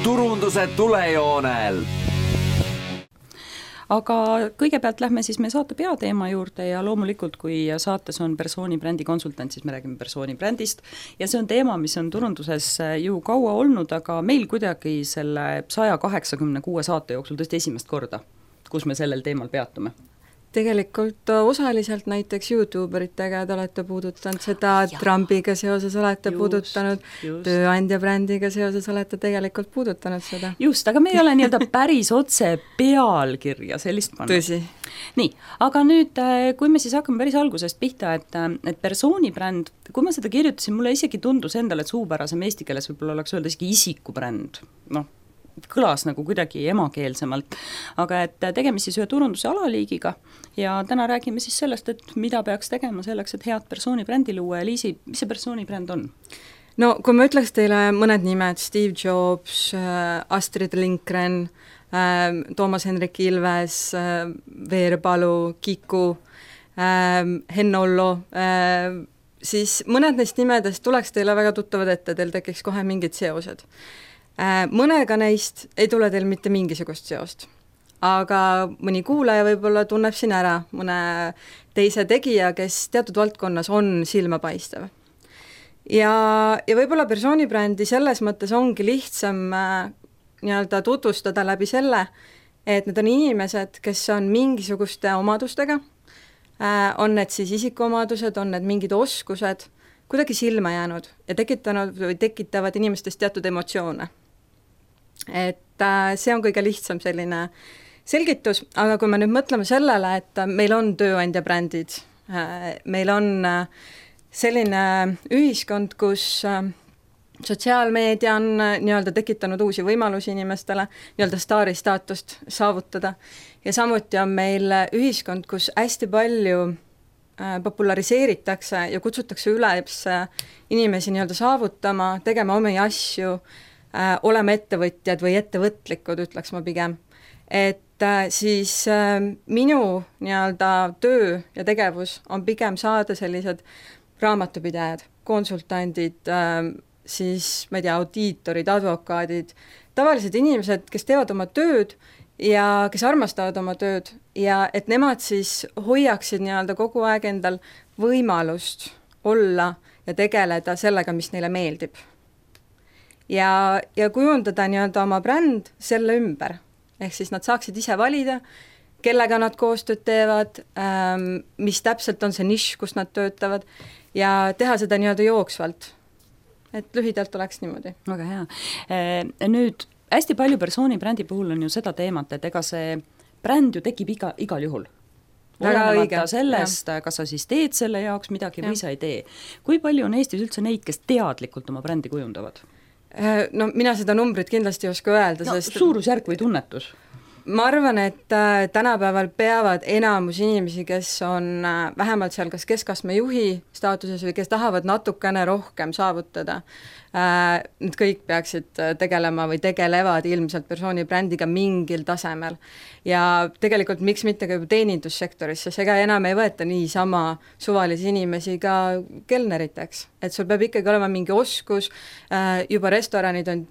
turunduse tulejoonel. Aga kõigepealt lähme siis meie saate peateema juurde ja loomulikult, kui saates on persoonibrändi konsultant, siis me räägime persoonibrändist ja see on teema, mis on turunduses ju kaua olnud, aga meil kuidagi selle 186 saate jooksul tõesti esimest korda, kus me sellel teemal peatume. Tegelikult osaliselt näiteks YouTuberitega te olete puudutanud seda, Trumpiga seoses olete puudutanud, tööandja brändiga seoses olete tegelikult puudutanud seda. Just, aga me ei ole nii-öelda päris otse pealkirja sellist pannud. Tõsi. Nii, aga nüüd, kui me siis hakkame päris algusest pihta, et persoonibränd, kui ma seda kirjutasin, mulle isegi tundus endale, et suupärasem eesti keeles võib-olla oleks öelda isegi isikubränd, kõlas nagu kuidagi emakeelsemalt, aga et tegemist siis ühe turunduse alaliigiga ja täna räägime siis sellest, et mida peaks tegema selleks, et head persoonibrändi luua ja Liisi, mis see persoonibränd on? No kui ma ütleks teile mõned nimed, Steve Jobs, Astrid Lindgren, Toomas Hendrik Ilves, Veerpalu, Kiku, Henn Ollo, siis mõned neist nimedest tuleks teile väga tuttavad ette, teil tekiks kohe mingid seosed. Mõnega neist ei tule teil mitte mingisugust seost, aga mõni kuulaja võib-olla tunneb siin ära mõne teise tegija, kes teatud valdkonnas on silmapaistev. Ja võib-olla persoonibrändi selles mõttes ongi lihtsam nii-öelda tutvustada läbi selle, et need on inimesed, kes on mingisuguste omadustega, on need siis isikuomadused, on need mingid oskused, kuidagi silma jäänud ja tekitanud või tekitavad inimestest teatud emotsioone. Et see on kõige lihtsam selline selgitus, aga kui me nüüd mõtleme sellele, et meil on tööandja brändid, meil on selline ühiskond, kus sotsiaalmeedia on nii-öelda tekitanud uusi võimalusi inimestele, nii-öelda staari staatust saavutada ja samuti on meil ühiskond, kus hästi palju populariseeritakse ja kutsutakse üles inimesi nii-öelda saavutama, tegema omi asju, olema ettevõtjad või ettevõtlikud, ütleks ma pigem. Et siis minu nii-öelda töö ja tegevus on pigem saada sellised raamatupidajad, konsultandid, siis ma ei tea, audiitorid, advokaadid, tavalised inimesed, kes teevad oma tööd ja kes armastavad oma tööd ja et nemad siis hoiaksid nii-öelda kogu aeg endal võimalust olla ja tegeleda sellega, mis neile meeldib. Ja kujundada nii-öelda oma bränd selle ümber, ehk siis nad saaksid ise valida, kellega nad koostööd teevad, mis täpselt on see nišš, kus nad töötavad ja teha seda nii-öelda jooksvalt. Et lühidalt oleks niimoodi. Väga hea. Nüüd hästi palju persoonibrändi puhul on ju seda teemat, et ega see bränd ju tekib igal juhul. Olenemata sellest, kas sa siis teed selle jaoks midagi või sa ei tee. Kui palju on Eestis üldse neid, kes teadlikult oma brändi kujundavad? No mina seda numbrit kindlasti ei oska öelda, sest suurusjärk või tunnetus? Ma arvan, et tänapäeval peavad enamus inimesi, kes on vähemalt seal kas keskastme juhi staatuses või kes tahavad natukene rohkem saavutada, need kõik peaksid tegelema või tegelevad ilmselt persoonibrändiga mingil tasemel. Ja tegelikult miks mitte ka juba teenindussektoris, sest ega enam ei võeta niisama suvalisi inimesi ka kelneriteks. Et sul peab ikkagi olema mingi oskus, juba restoranid on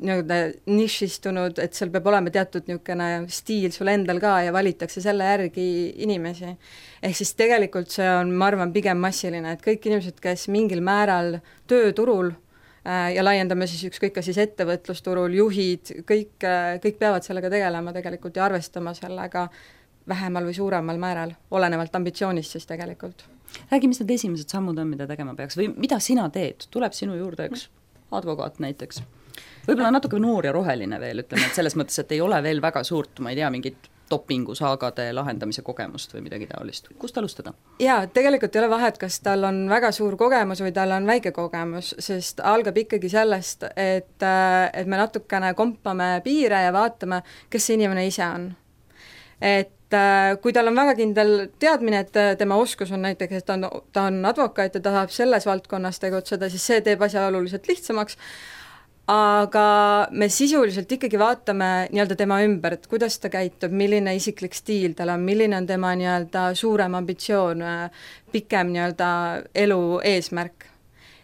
nišistunud, et seal peab olema teatud niisugune stiil sul endal ka ja valitakse selle järgi inimesi. Ehk siis tegelikult see on, ma arvan, pigem massiline, et kõik inimesed, kes mingil määral tööturul ja laiendame siis ükskõik ka siis ettevõtlusturul, juhid, kõik peavad sellega tegelema tegelikult ja arvestama sellega vähemal või suuremal määral, olenevalt ambitsioonist siis tegelikult. Räägi, mis need esimesed sammud on, mida tegema peaks või mida sina teed? Tuleb sinu juurde üks advokaat näiteks? Võib-olla natuke noor ja roheline veel, ütleme, et selles mõttes, et ei ole veel väga suurt, ma ei tea, mingit dopingusaagade lahendamise kogemust või midagi taolist. Kust alustada? Jaa, tegelikult ei ole vahet, kas tal on väga suur kogemus või tal on väike kogemus, sest algab ikkagi sellest, et me natukene kompame piire ja vaatame, kes see inimene ise on. Et kui tal on väga kindel teadmine, et tema oskus on näiteks, et ta on advokaat ja ta tahab selles valdkonnas tegutseda, siis see teeb asja oluliselt lihtsamaks, aga me sisuliselt ikkagi vaatame nii-öelda tema ümber, et kuidas ta käitub, milline isiklik stiil tal on, milline on tema nii-öelda suurem ambitsioon, pikem nii-öelda elu eesmärk.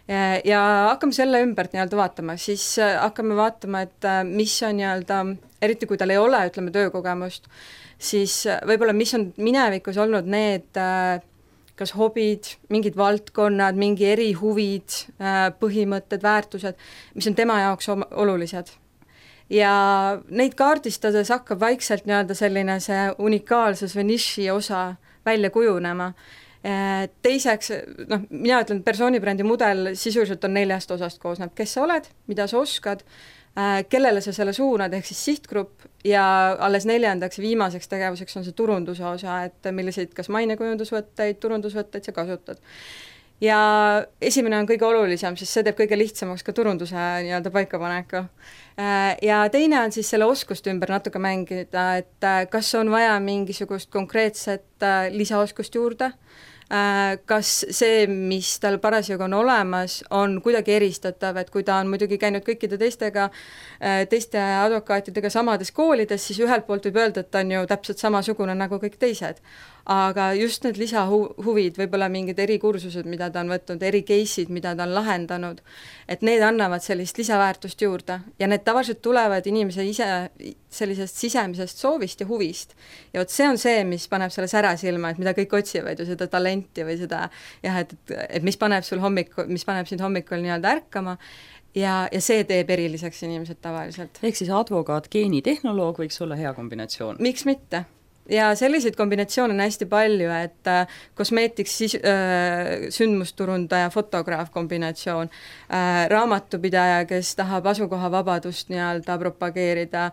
ja hakkame selle ümbert nii-öelda vaatama, siis hakkame vaatama, et mis on nii-öelda, eriti kui tal ei ole, ütleme, töökogemust, siis võib-olla mis on minevikus olnud need kas hobid, mingid valdkonnad, mingi erihuvid, põhimõtted, väärtused, mis on tema jaoks olulised. Ja neid kaardistades hakkab vaikselt nii-öelda selline see unikaalsus või niši osa välja kujunema. Teiseks, mina ütlen, persoonibrändi mudel sisuliselt on 4 osast koosneb, kes sa oled, mida sa oskad, kellele sa selle suunad, ehk siis sihtgrupp, ja alles 4. viimaseks tegevuseks on see turunduse osa, et milliseid kas mainekujundusvõtteid, turundusvõtteid sa kasutad. Ja esimene on kõige olulisem, sest see teeb kõige lihtsamaks ka turunduse nii-öelda paikapaneku. Ja teine on siis selle oskuste ümber natuke mängida, et kas on vaja mingisugust konkreetset lisaoskust juurde, kas see, mis tal parasjagu on olemas, on kuidagi eristatav, et kui ta on muidugi käinud kõikide teiste advokaatidega samades koolides, siis ühelt poolt võib öelda, et ta on ju täpselt samasugune nagu kõik teised. Aga just need lisahuvid, võib-olla mingid erikursused, mida ta on võtnud, ericase'id, mida ta on lahendanud, et need annavad sellist lisaväärtust juurde ja need tavaliselt tulevad inimese ise sellisest sisemisest soovist ja huvist. Ja vot see on see, mis paneb selle sära silma, et mida kõik otsivad ju seda talenti või seda, jah, et mis paneb sind hommikul nii-öelda ärkama ja see teeb eriliseks inimesed tavaliselt. Ehk siis advokaat, geenitehnoloog võiks olla hea kombinatsioon. Miks mitte? Ja selliseid kombinatsioone on hästi palju, et kosmeetiks sündmusturundaja, fotograaf kombinatsioon, raamatupidaja, kes tahab asukoha vabadust nii-öelda propageerida,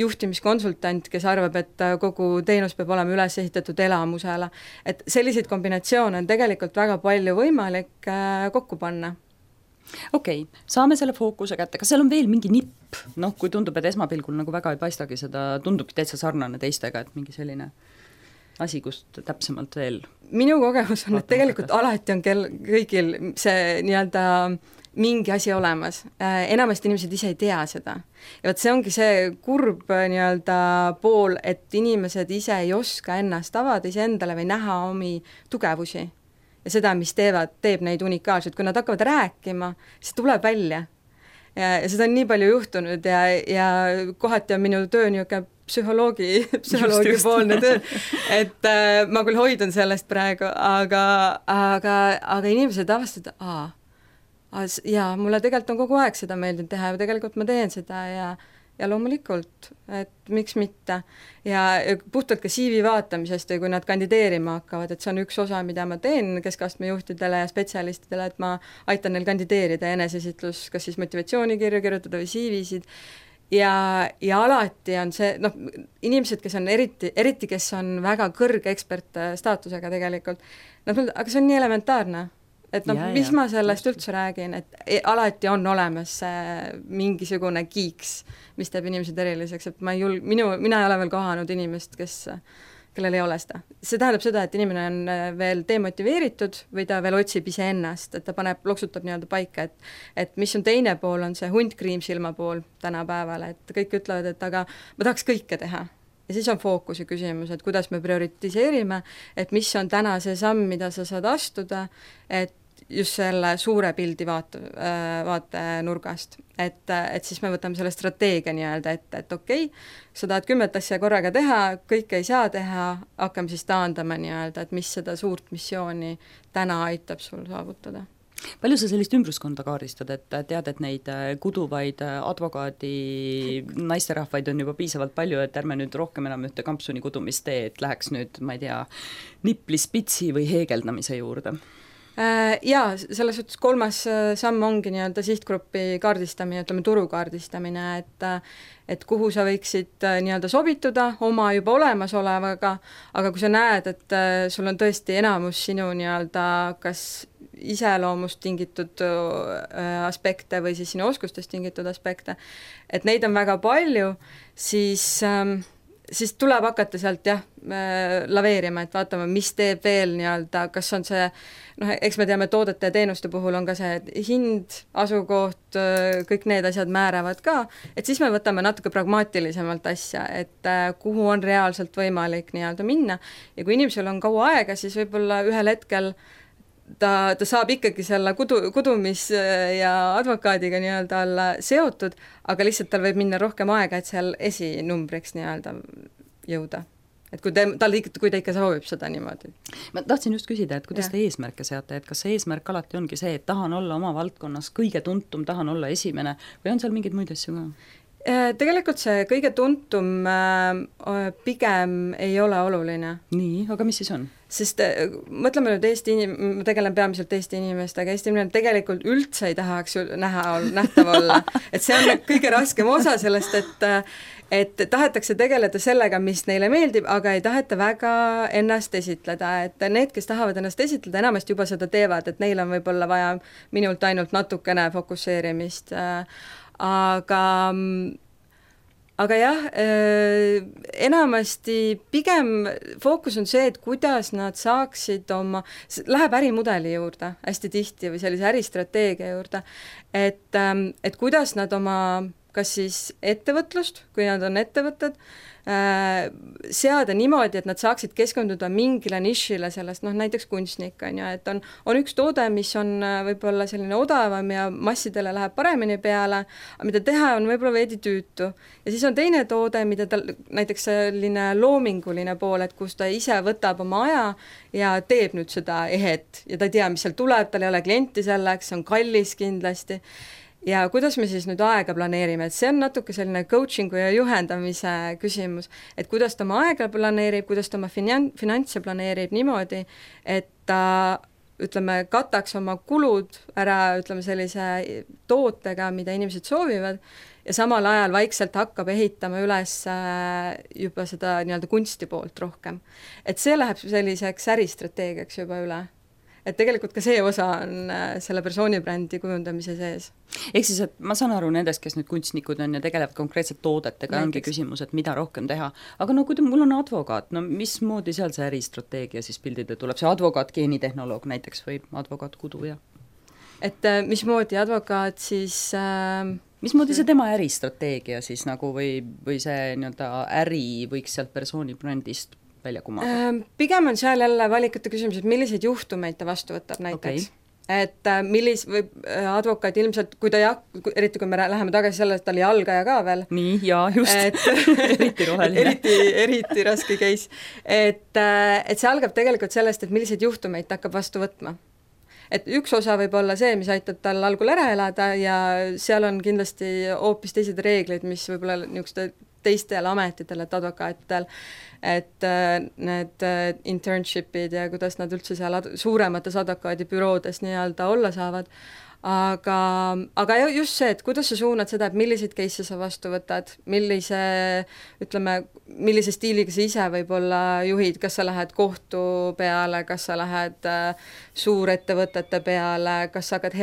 juhtimiskonsultant, kes arvab, et kogu teenus peab olema üles ehitatud elamusele. Et selliseid kombinatsioone on tegelikult väga palju võimalik kokku panna. Okei, saame selle fookuse kätte, kas seal on veel mingi nipp, kui tundub, et esmapilgul nagu väga ei paistagi seda, tundubki täitsa sarnane teistega, et mingi selline asi, kust täpsemalt veel? Minu kogemus on, et tegelikult alati on kõigil see nii-öelda mingi asi olemas. Enamasti inimesed ise ei tea seda. Ja võt see ongi see kurb nii-öelda pool, et inimesed ise ei oska ennast avada ise endale või näha omi tugevusi. Ja seda, mis teeb neid unikaalselt, kui nad hakkavad rääkima, siis tuleb välja. Ja seda on nii palju juhtunud ja kohati on minu töö niisugune psühholoogi poolne töö, et ma küll hoidun sellest praegu, aga inimesed avastavad, jaa, mulle tegelikult on kogu aeg seda meeldinud teha ja tegelikult ma teen seda ja loomulikult, et miks mitte. Ja puhtalt ka CV vaatamisest või kui nad kandideerima hakkavad, et see on üks osa, mida ma teen keskastme juhtidele ja spetsialistidele, et ma aitan neil kandideerida enesesitlus, kas siis motivatsioonikirju kirjutada või CV-sid. Ja alati on see, inimesed, kes on eriti, kes on väga kõrge ekspertstaatusega tegelikult, aga see on nii elementaarne. Et mis ma sellest üldse räägin, et alati on olemas mingisugune kiiks, mis teeb inimesed eriliseks, et mina ei ole veel kohanud inimest, kellel ei ole seda. See tähendab seda, et inimene on veel demotiveeritud või ta veel otsib ise ennast, et ta loksutab nii-öelda paika, et mis on teine pool, on see hunt kriimsilma pool tänapäeval, et kõik ütlevad, et aga ma tahaks kõike teha. Ja siis on fookuse küsimus, et kuidas me prioritiseerime, et mis on täna see samm, mida sa saad astuda, et just selle suure pildi vaatenurgast. Et siis me võtame selle strateegia nii-öelda ette, et okei, sa tahad 10 asja korraga teha, kõike ei saa teha, hakkame siis taandama nii-öelda, et mis seda suurt missiooni täna aitab sul saavutada. Palju sa sellist ümbruskonda kaardistad, et tead, et neid kuduvaid advokaadi naisterahvaid on juba piisavalt palju, et ärme nüüd rohkem enam ühte kampsuni kudumist tee, et läheks nüüd, ma ei tea, nipli-spitsi või heegeldamise juurde? Jaa, selles suhtes 3. samm ongi nii-öelda sihtgrupi kaardistamine, ütleme turu kaardistamine, et kuhu sa võiksid nii-öelda sobituda oma juba olemasolevaga, aga kui sa näed, et sul on tõesti enamus sinu nii-öelda kas iseloomust tingitud aspekte või siis sinu oskustest tingitud aspekte, et neid on väga palju, siis tuleb hakata sealt laveerima, et vaatama, mis teeb veel nii-öelda, kas on see, eks me teame, toodete ja teenuste puhul on ka see hind, asukoht, kõik need asjad määravad ka, et siis me võtame natuke pragmaatilisemalt asja, et kuhu on reaalselt võimalik nii-öelda minna ja kui inimesel on kaua aega, siis võib-olla ühel hetkel ta saab ikkagi selle kudumis- ja advokaadiga nii-öelda olla seotud, aga lihtsalt tal võib minna rohkem aega, et seal esinumbriks nii-öelda jõuda. Et kui ta ikka soovib seda niimoodi. Ma tahtsin just küsida, et kuidas te eesmärke seate, et kas see eesmärk alati ongi see, et tahan olla oma valdkonnas kõige tuntum, tahan olla esimene või on seal mingeid muid asju ka? Tegelikult see kõige tuntum pigem ei ole oluline. Nii, aga mis siis on? Sest mõtleme nüüd ma tegelen peamiselt Eesti inimestega, Eesti inimene tegelikult üldse ei tahaks nähtav olla. Et see on kõige raskem osa sellest, et tahetakse tegeleda sellega, mis neile meeldib, aga ei taheta väga ennast esitleda, et need, kes tahavad ennast esitleda, enamasti juba seda teevad, et neil on võib-olla vaja minult ainult natukene fokusseerimist, aga jah, enamasti pigem fookus on see, et kuidas nad saaksid läheb ärimudeli juurde hästi tihti või sellise äristrateegia juurde, et kuidas nad oma kas siis ettevõtlust, kui nad on ettevõtted, seada niimoodi, et nad saaksid keskenduda mingile nišile sellest, näiteks kunstnik on ju, et on üks toode, mis on võib-olla selline odavam ja massidele läheb paremini peale, aga mida teha on võib-olla veidi tüütu. Ja siis on teine toode, mida tal näiteks selline loominguline pool, et kus ta ise võtab oma aja ja teeb nüüd seda ehet ja ta ei tea, mis seal tuleb, tal ei ole klienti selleks, on kallis kindlasti. Ja kuidas me siis nüüd aega planeerime, et see on natuke selline coachingu ja juhendamise küsimus, et kuidas ta oma aega planeerib, kuidas ta oma finantse planeerib niimoodi, et ta, ütleme, kataks oma kulud ära, ütleme, sellise tootega, mida inimesed soovivad, ja samal ajal vaikselt hakkab ehitama üles juba seda nii-öelda kunsti poolt rohkem. Et see läheb selliseks äristrateegiaks juba üle. Et tegelikult ka see osa on selle persoonibrändi kujundamise sees. Ehk siis, et ma saan aru nendest, kes nüüd kunstnikud on ja tegelevad konkreetselt toodetega, ongi küsimus, et mida rohkem teha. Aga kui mul on advokaat, mismoodi seal see äristrateegia siis pildide tuleb? See advokaat, geenitehnoloog näiteks või advokaat kuduja? Et mismoodi advokaat siis... mismoodi see tema äristrateegia siis nagu või see nii-öelda äri võiks sealt persoonibrändist välja kumada? Pigem on seal jälle valikute küsimus, et milliseid juhtumeid ta vastu võtab näiteks. Okay. Et või advokaat ilmselt, kui ta eriti kui me läheme tagasi selle, et ta oli algaja ka veel. Nii, jaa, just. Eriti roheline. Eriti raske case. Et see algab tegelikult sellest, et milliseid juhtumeid ta hakkab vastu võtma. Et üks osa võib olla see, mis aitab tal algul ära elada ja seal on kindlasti hoopis teised reeglid, mis võib-olla niisuguste teistel ametitel, et advokaatidel, et need internshipid ja kuidas nad üldse seal suuremates advokaadibüroodes nii-öelda olla saavad, aga just see, et kuidas sa suunad seda, et milliseid case'e sa vastu võtad, millise stiiliga sa ise võib-olla juhid, kas sa lähed kohtu peale, kas sa lähed suurettevõtete peale, kas sa hakkad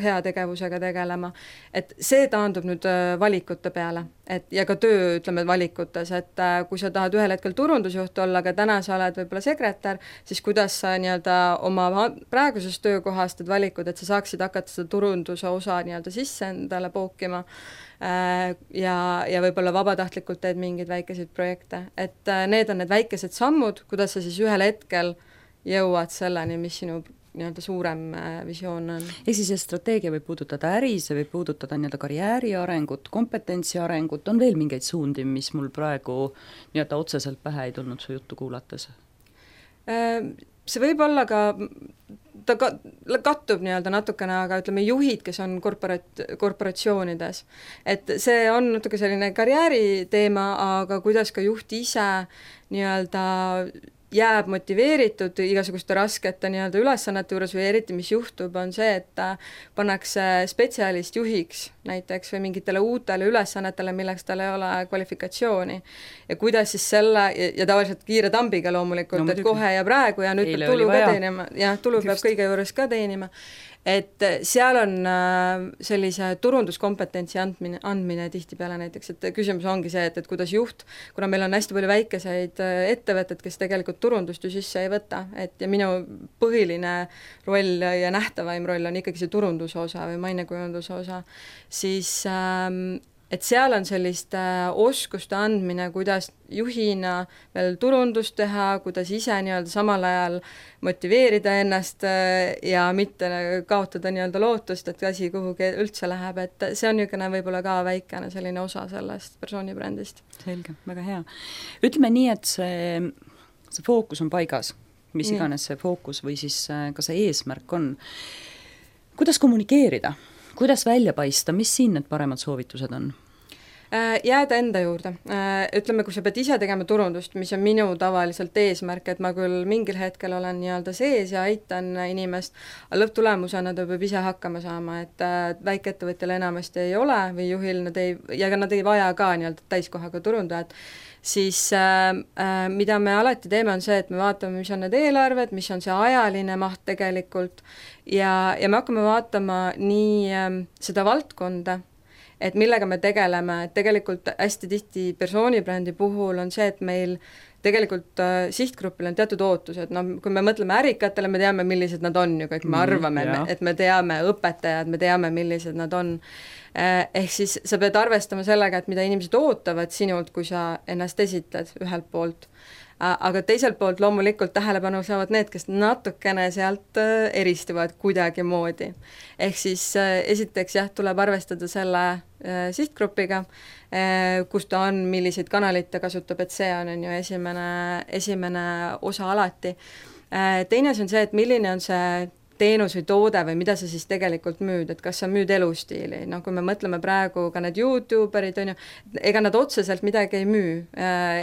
heategevusega tegelema, et see taandub nüüd valikute peale, ja ka töö, ütleme, valikutes, et kui sa tahad ühel hetkel turundusjuht olla, aga täna sa oled võib-olla sekretär, siis kuidas sa nii-öelda oma praegusest töökohast teed valikud, et sa saaksid hakata seda turunduse osa nii-öelda sisse endale pookima ja võib-olla vabatahtlikult teed mingeid väikeseid projekte, et need on need väikesed sammud, kuidas sa siis ühel hetkel jõuad selleni, mis sinu nii-öelda suurem visioon on. Ja siis see strateegia võib puudutada äri, see võib puudutada nii-öelda karjääri arengut, kompetentsi arengut, on veel mingeid suundi, mis mul praegu nii-öelda otseselt pähe ei tulnud su juttu kuulates? See võib olla ka, ta kattub nii-öelda natukene, aga ütleme juhid, kes on korporatsioonides. Et see on natuke selline karjääri teema, aga kuidas ka juht ise nii-öelda jääb motiveeritud igasuguste raskete nii-öelda ülesannete juures või eriti, mis juhtub, on see, et pannakse spetsialist juhiks näiteks või mingitele uutele ülesannetele, milleks tal ei ole kvalifikatsiooni. Ja kuidas siis selle, ja tavaliselt kiire tambiga loomulikult, et kohe ja praegu ja nüüd peab tulu ka teenima, ja tulu peab kõige juures ka teenima. Et seal on sellise turunduskompetentsi andmine tihtipeale näiteks, et küsimus ongi see, et kuidas juht, kuna meil on hästi palju väikeseid ettevõtted, kes tegelikult turundust ju sisse ei võta, et ja minu põhiline roll ja nähtavaim roll on ikkagi see turunduse osa või mainekujunduse osa, siis et seal on sellist oskuste andmine, kuidas juhina veel turundust teha, kuidas ise nii-öelda samal ajal motiveerida ennast ja mitte kaotada nii-öelda lootust, et asi kuhugi üldse läheb, et see on niisugune võib-olla ka väikene selline osa sellest persoonibrändist. Selge, väga hea. Ütleme nii, et see fookus on paigas, mis iganes see fookus või siis ka see eesmärk on. Kuidas kommunikeerida? Kuidas välja paista, mis siin need paremad soovitused on? Jääda enda juurde. Ütleme, kui sa pead ise tegema turundust, mis on minu tavaliselt eesmärk, et ma küll mingil hetkel olen nii-öelda sees ja aitan inimest, aga lõpptulemusena ta peab ise hakkama saama, et väikeettevõtjal enamasti ei ole või juhil nad ei vaja ka nii-öelda täiskohaga turundajat, siis mida me alati teeme, on see, et me vaatame, mis on need eelarved, mis on see ajaline maht tegelikult ja me hakkame vaatama nii seda valdkonda, et millega me tegeleme, et tegelikult hästi tihti persoonibrändi puhul on see, et meil tegelikult sihtgrupil on teatud ootused, no kui me mõtleme ärikatele, me teame, millised nad on ju kõik, me arvame, et me teame õpetajad, me teame, millised nad on. Ehk siis sa pead arvestama sellega, et mida inimesed ootavad sinult, kui sa ennast esitad ühelt poolt. Aga teiselt poolt loomulikult tähelepanu saavad need, kes natukene sealt eristuvad kuidagi moodi. Ehk siis esiteks tuleb arvestada selle sihtgrupiga, kus ta on, milliseid kanaleid ta kasutab, et see on ju esimene osa alati. Teine on see, et milline on see teenus või toode või mida sa siis tegelikult müüd, et kas sa müüd elustiili, no kui me mõtleme praegu ka need YouTuberid, on ju, ega nad otseselt midagi ei müü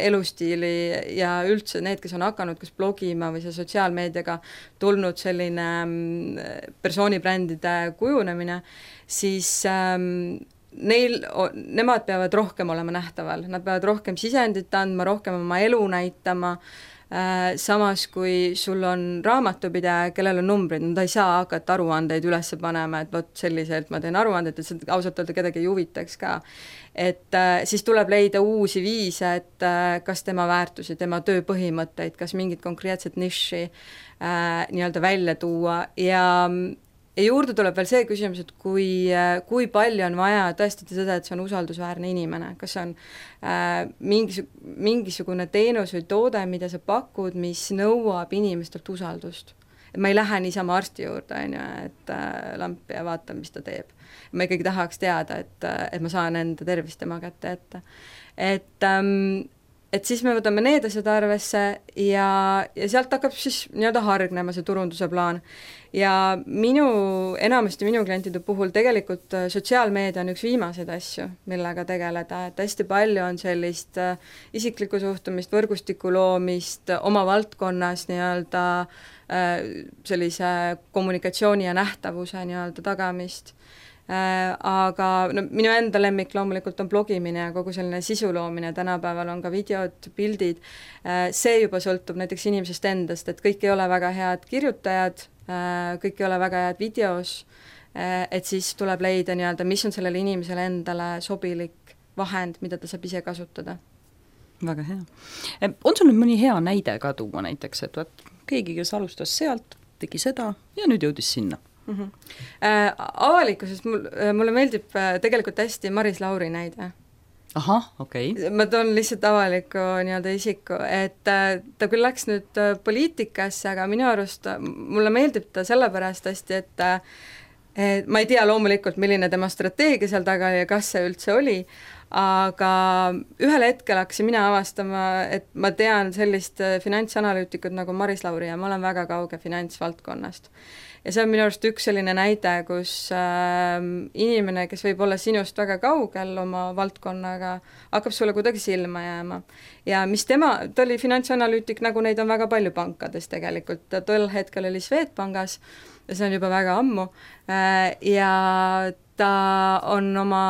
elustiili ja üldse need, kes on hakanud kas blogima või see sotsiaalmeediaga tulnud selline persoonibrändide kujunemine, siis nemad peavad rohkem olema nähtaval, nad peavad rohkem sisendit andma, rohkem oma elu näitama, samas kui sul on raamatupidaja, kellel on numbrid, nad ei saa hakata aruandeid üles panema, et vot selliselt ma teen aruandeid, et see ausalt öelda kedagi ei huvitaks ka. Et siis tuleb leida uusi viise, et kas tema väärtusi, tema töö põhimõtteid, kas mingit konkreetset niši nii-öelda välja tuua ja juurde tuleb veel see küsimus, et kui palju on vaja tõestada seda, et see on usaldusväärne inimene, kas on mingisugune teenus või toode, mida sa pakud, mis nõuab inimestelt usaldust. Et ma ei lähe niisama arsti juurde, on ju, et lamp ja vaatan, mis ta teeb. Ma ikkagi tahaks teada, et ma saan enda tervist tema kätte ette. Et siis me võtame need asjad arvesse ja sealt hakkab siis nii-öelda hargnema see turunduse plaan. Ja enamasti minu klientide puhul tegelikult sotsiaalmeedia on üks viimaseid asju, millega tegeleda, et hästi palju on sellist isiklikku suhtumist, võrgustiku loomist, oma valdkonnas nii-öelda sellise kommunikatsiooni ja nähtavuse nii-öelda tagamist. Aga minu enda lemmik loomulikult on blogimine ja kogu selline sisu loomine, tänapäeval on ka videod, pildid, see juba sõltub näiteks inimesest endast, et kõik ei ole väga head kirjutajad, kõik ei ole väga head videos, et siis tuleb leida nii-öelda, mis on sellele inimesele endale sobilik vahend, mida ta saab ise kasutada. Väga hea. On sul nüüd mõni hea näide ka tuua näiteks, et keegi, kes alustas sealt, tegi seda ja nüüd jõudis sinna? Avalikkuses mulle meeldib tegelikult hästi Maris Lauri näide. Ahah, okei. Ma toon lihtsalt avaliku nii-öelda isiku, et ta küll läks nüüd poliitikasse, aga minu arust mulle meeldib ta sellepärast hästi, et ma ei tea loomulikult, milline tema strateegia seal taga ja kas see üldse oli, aga ühel hetkel hakkasin mina avastama, et ma tean sellist finantsanalüütikut nagu Maris Lauri ja ma olen väga kauge finantsvaldkonnast. Ja see on minu arust üks selline näide, kus inimene, kes võib olla sinust väga kaugel oma valdkonnaga, hakkab sulle kuidagi silma jääma. Ja mis ta oli finantsanalüütik, nagu neid on väga palju pankades tegelikult, ta tol hetkel oli Swedbankis ja see on juba väga ammu ja ta on oma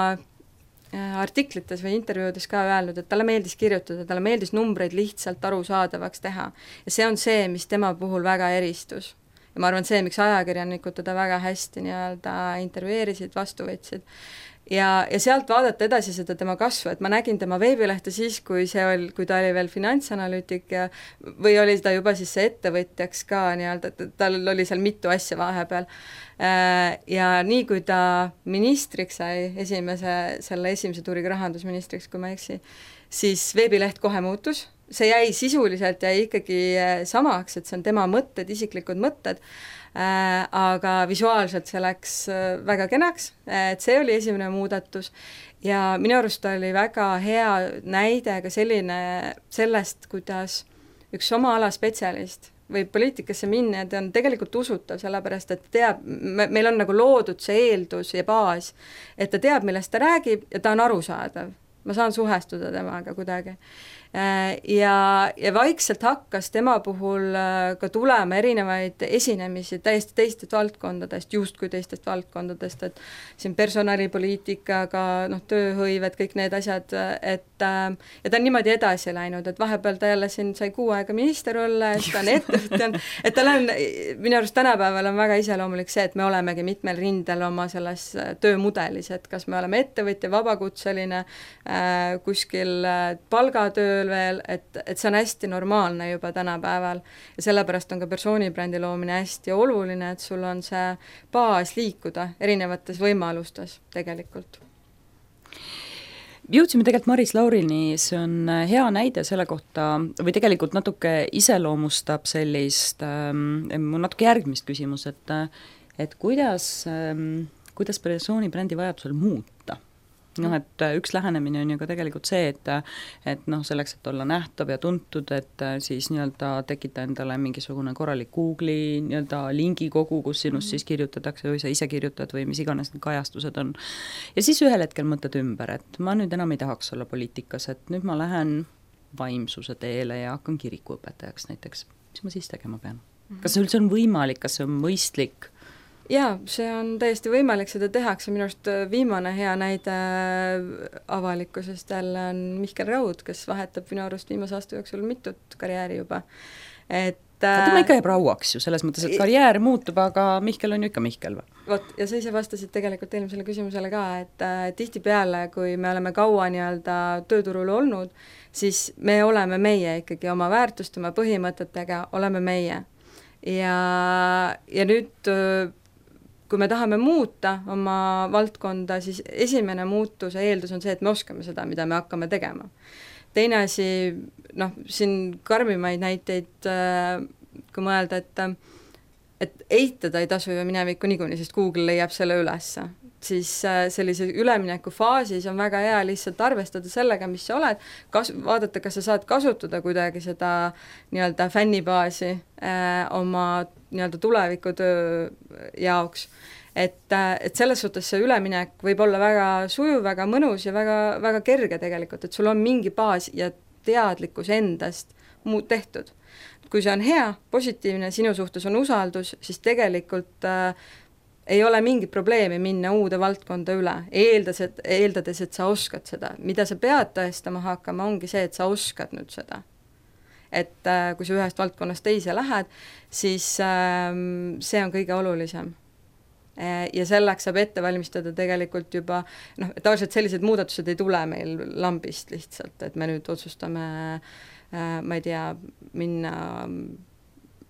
artiklites või intervjuudes ka öelnud, et talle meeldis kirjutada, talle meeldis numbreid lihtsalt arusaadavaks teha ja see on see, mis tema puhul väga eristus. Ja ma arvan, see, miks ajakirjanikud teda väga hästi nii-öelda intervjueerisid, vastu võtsid. Ja sealt vaadata edasi seda tema kasvu, et ma nägin tema veebilehte siis, kui ta oli veel finantsanalüütik või oli ta juba siis see ettevõtjaks ka nii-öelda, tal oli seal mitu asja vahepeal. Ja nii, kui ta ministriks sai, selle esimese tuuriga rahandusministriks, kui ma ei eksi, siis veebileht kohe muutus, see jäi sisuliselt ikkagi samaks, et see on tema mõtted, isiklikud mõtted, aga visuaalselt see läks väga kenaks, et see oli esimene muudatus ja minu arust oli väga hea näide ka sellest, kuidas üks oma ala spetsialist võib poliitikasse minna ja ta on tegelikult usutav, sellepärast et teab, meil on nagu loodud see eeldus ja baas, et ta teab, millest ta räägib ja ta on arusaadav. Ma saan suhestuda temaga kuidagi. Ja vaikselt hakkas tema puhul ka tulema erinevaid esinemisi täiesti teistest valdkondadest, justkui teistest valdkondadest, et siin personalipoliitikaga, tööhõivad, kõik need asjad, ja ta on niimoodi edasi läinud, et vahepeal ta jälle siin sai 6 aega minister olla, et ta on ettevõtja, et tal on, minu arust tänapäeval on väga iseloomulik see, et me olemegi mitmel rindel oma selles töömudelis, et kas me oleme ettevõtja, vabakutseline, kuskil palgatööl veel, et see on hästi normaalne juba tänapäeval ja sellepärast on ka persoonibrändi loomine hästi oluline, et sul on see baas liikuda erinevates võimalustes tegelikult. Jõudsime tegelikult Maris Laurini, see on hea näide selle kohta, või tegelikult natuke iseloomustab sellist, mul natuke järgmist küsimus, et kuidas persoonibrändi vajadusel muuta? Et üks lähenemine on ju ka tegelikult see, et selleks, et olla nähtav ja tuntud, et siis tekita endale mingisugune korralik Google'i lingikogu, kus sinust siis kirjutatakse või sa ise kirjutad või mis iganes need kajastused on. Ja siis ühel hetkel mõtled ümber, et ma nüüd enam ei tahaks olla poliitikas, et nüüd ma lähen vaimsuse teele ja hakkan kirikuõpetajaks näiteks. Mis ma siis tegema pean? Kas see üldse on võimalik, kas see on mõistlik? Jaa, see on täiesti võimalik, seda tehakse, minu arust viimane hea näide avalikkusest jälle on Mihkel Raud, kes vahetab minu arust viimase aasta jooksul mitut karjääri juba. Tema ikka jääb rauaks ju, selles mõttes, et karjäär muutub, aga Mihkel on ju ikka Mihkel või? Vot, ja sa ise vastasid tegelikult eelmisele küsimusele ka, et tihtipeale, kui me oleme kaua tööturul olnud, siis me oleme meie ikkagi oma väärtust, oma põhimõtetega, oleme meie. Ja nüüd kui me tahame muuta oma valdkonda, siis esimene muutuse eeldus on see, et me oskame seda, mida me hakkame tegema. Teine asi, siin karmimaid näiteid, kui mõelda, et eitada ei tasu ju minevikku niikuinii, sest Google leiab selle ülesse. Siis sellise ülemineku faasis on väga hea lihtsalt arvestada sellega, mis sa oled, vaadata, kas sa saad kasutada kuidagi seda fännibaasi oma tulevikutöö jaoks. Et selles suhtes see üleminek võib olla väga sujuv, väga mõnus ja väga, väga kerge tegelikult, et sul on mingi baas ja teadlikkus endast tehtud. Kui see on hea, positiivne, sinu suhtes on usaldus, siis tegelikult ei ole mingi probleemi minna uude valdkonda üle, eeldades, et sa oskad seda. Mida sa pead tõestama hakkama, ongi see, et sa oskad nüüd seda. Et kui sa ühest valdkonnast teise lähed, siis see on kõige olulisem. Ja selleks saab ette valmistada tegelikult juba, tavaliselt sellised muudatused ei tule meil lambist lihtsalt, et me nüüd otsustame, ma ei tea, minna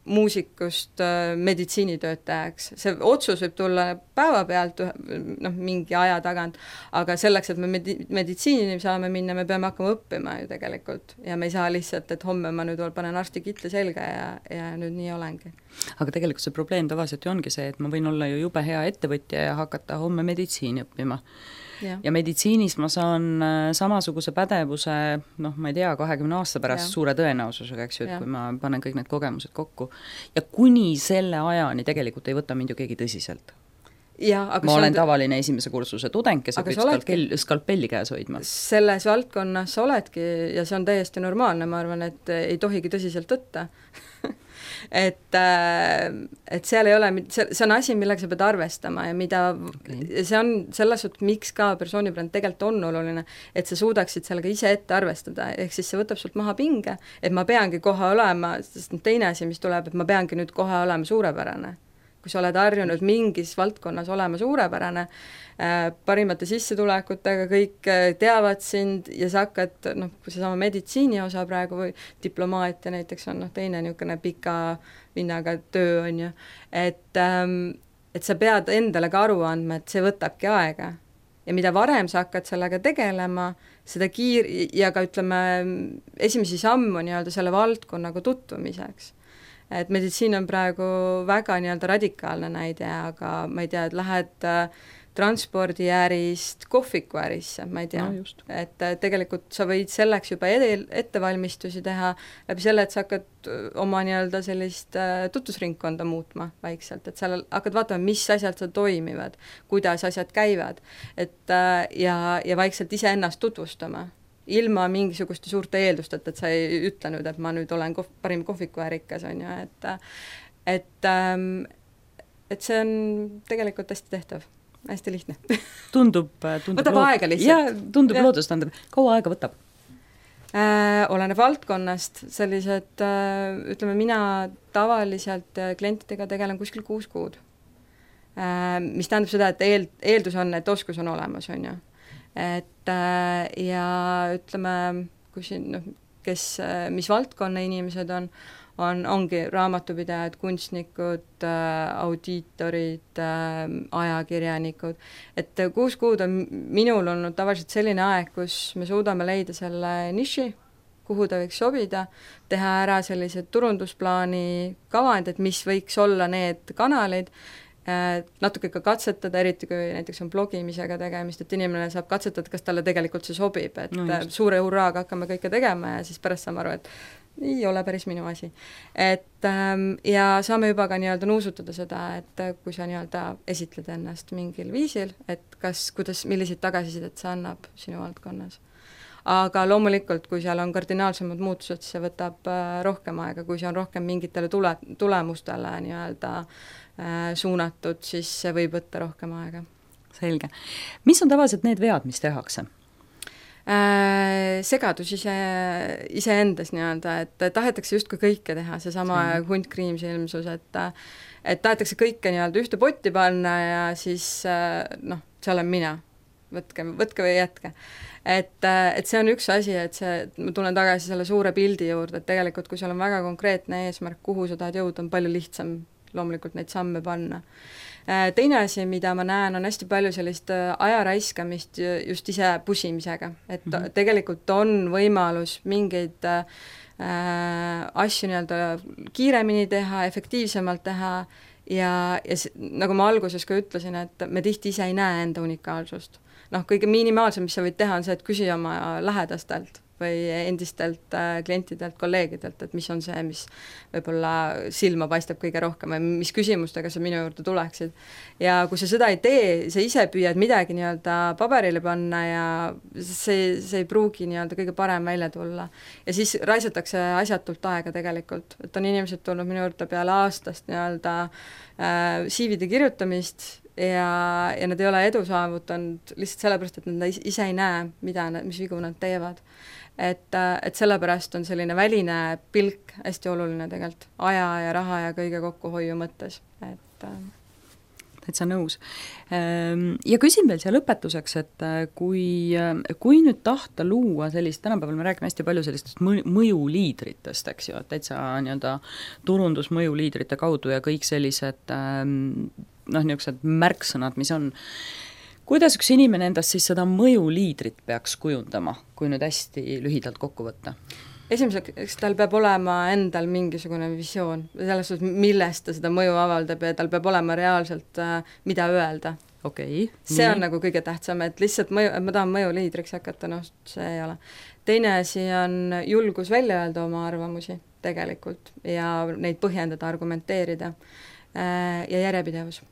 muusikust meditsiinitöötajaks. See otsus võib tulla päevapealt mingi aja tagant, aga selleks, et me meditsiini saame minna, me peame hakkama õppima ju tegelikult ja me ei saa lihtsalt, et homme ma nüüd panen arstikitli selga ja nüüd nii olengi. Aga tegelikult see probleem tavaliselt ju ongi see, et ma võin olla ju jube hea ettevõtja ja hakata homme meditsiini õppima. Ja meditsiinis ma saan samasuguse pädevuse, ma ei tea, 20 aasta pärast suure tõenäosusega, eks ju, et kui ma panen kõik need kogemused kokku. Ja kuni selle ajani tegelikult ei võta mind ju keegi tõsiselt. Ma olen tavaline esimese kursuse tudeng, kes peab skalpelli käes hoidma. Selles valdkonnas sa oledki ja see on täiesti normaalne, ma arvan, et ei tohigi tõsiselt võtta. et seal ei ole, see on asi, millega sa pead arvestama ja mida see on selles suhtes, miks ka persoonibränd tegelikult on oluline, et sa suudaksid sellega ise ette arvestada, ehk siis see võtab sult maha pinge, et ma peangi kohe olema, sest teine asi, mis tuleb, et ma peangi nüüd kohe olema suurepärane. Kui sa oled harjunud mingis valdkonnas olema suurepärane, parimate sissetulekutega, kõik teavad sind ja sa hakkad, kui see sama meditsiini osa praegu või diplomaatia näiteks on teine niisugune pika vinnaga töö on ju, et et sa pead endale ka aru andma, et see võtabki aega. Ja mida varem sa hakkad sellega tegelema, seda ja ka ütleme, esimesi sammu nii-öelda selle valdkonnaga tutvumiseks. Et meditsiin on praegu väga nii-öelda radikaalne näide, aga ma ei tea, et lähed transpordiärist kohvikuärisse, ma ei tea, et tegelikult sa võid selleks juba ettevalmistusi teha läbi selle, et sa hakkad oma nii-öelda sellist tutvusringkonda muutma vaikselt, et seal hakkad vaatama, mis asjad seal toimivad, kuidas asjad käivad, et ja vaikselt iseennast tutvustama, ilma mingisuguste suurte eeldusteta, et sa ei ütle nüüd, et ma nüüd olen parim kohvikuärikas, on ju, et see on tegelikult hästi tehtav. Hästi lihtne. Tundub võtab aega lihtsalt. Ja, tundub loodustandev. Kaua aega võtab? Oleneb valdkonnast, sellised, ütleme, mina tavaliselt klientidega tegelen kuskil 6 kuud. Mis tähendab seda, et eeldus on, et oskus on olemas, on ju. Et ja ütleme, kui siin, mis valdkonna inimesed ongi raamatupidajad, kunstnikud, audiitorid, ajakirjanikud, et 6 kuud on minul olnud tavaliselt selline aeg, kus me suudame leida selle niši, kuhu ta võiks sobida, teha ära sellised turundusplaani kavand, et mis võiks olla need kanalid, natuke ka katsetada, eriti kui näiteks on blogimisega tegemist, et inimene saab katsetada, kas talle tegelikult see sobib, et suure hurraaga hakkame kõike tegema ja siis pärast saame aru, et ei ole päris minu asi. Et ja saame juba ka nii-öelda nuusutada seda, et kui sa nii-öelda esitled ennast mingil viisil, et milliseid tagasisidet see annab sinu valdkonnas. Aga loomulikult, kui seal on kardinaalsemad muutused, siis see võtab rohkem aega, kui see on rohkem mingitele tulemustele nii-öelda suunatud, siis see võib võtta rohkem aega. Selge. Mis on tavaliselt need vead, mis tehakse? Segadus iseendas nii-öelda, et tahetakse justkui kõike teha, seesama hunt kriimsilmsus, et tahetakse kõike nii-öelda ühte potti panna ja siis see olen mina, võtke või jätke. Et see on üks asi, ma tulen tagasi selle suure pildi juurde, et tegelikult kui seal on väga konkreetne eesmärk, kuhu sa tahad jõuda, on palju lihtsam loomulikult neid samme panna. Teine asi, mida ma näen, on hästi palju sellist aja raiskamist just ise pusimisega, et tegelikult on võimalus mingeid asju nii-öelda kiiremini teha, efektiivsemalt teha ja nagu ma alguses ka ütlesin, et me tihti ise ei näe enda unikaalsust. Kõige minimaalsem, mis sa võid teha, on see, et küsi oma lähedastelt või endistelt klientidelt, kolleegidelt, et mis on see, mis võib-olla silma paistab kõige rohkem või mis küsimustega sa minu juurde tuleksid. Ja kui sa seda ei tee, sa ise püüad midagi nii-öelda paberile panna ja see ei pruugi nii-öelda kõige parem välja tulla. Ja siis raisatakse asjatult aega tegelikult, et on inimesed tulnud minu juurde peale aastast nii-öelda CV-de kirjutamist ja nad ei ole edu saavutanud lihtsalt sellepärast, et nad ise ei näe, mis vigu nad teevad. Et sellepärast on selline väline pilk hästi oluline tegelikult aja ja raha ja kõige kokkuhoiu mõttes. Täitsa nõus. Ja küsin veel siia lõpetuseks, et kui nüüd tahta luua sellist, tänapäeval me räägime hästi palju sellistest mõjuliidritest, eks ju, et täitsa nii-öelda turundusmõjuliidrite kaudu ja kõik sellised niisugused märksõnad, mis on. Kuidas üks inimene endast siis seda mõjuliidrit peaks kujundama, kui nüüd hästi lühidalt kokku võtta? Esimeseks tal peab olema endal mingisugune visioon, selles suhtes, millest ta seda mõju avaldab ja tal peab olema reaalselt mida öelda. Okay, see on nagu kõige tähtsam, et lihtsalt ma tahan mõjuliidriks hakata, see ei ole. Teine asi on julgus välja öelda oma arvamusi tegelikult ja neid põhjendada, argumenteerida ja järjepidevus.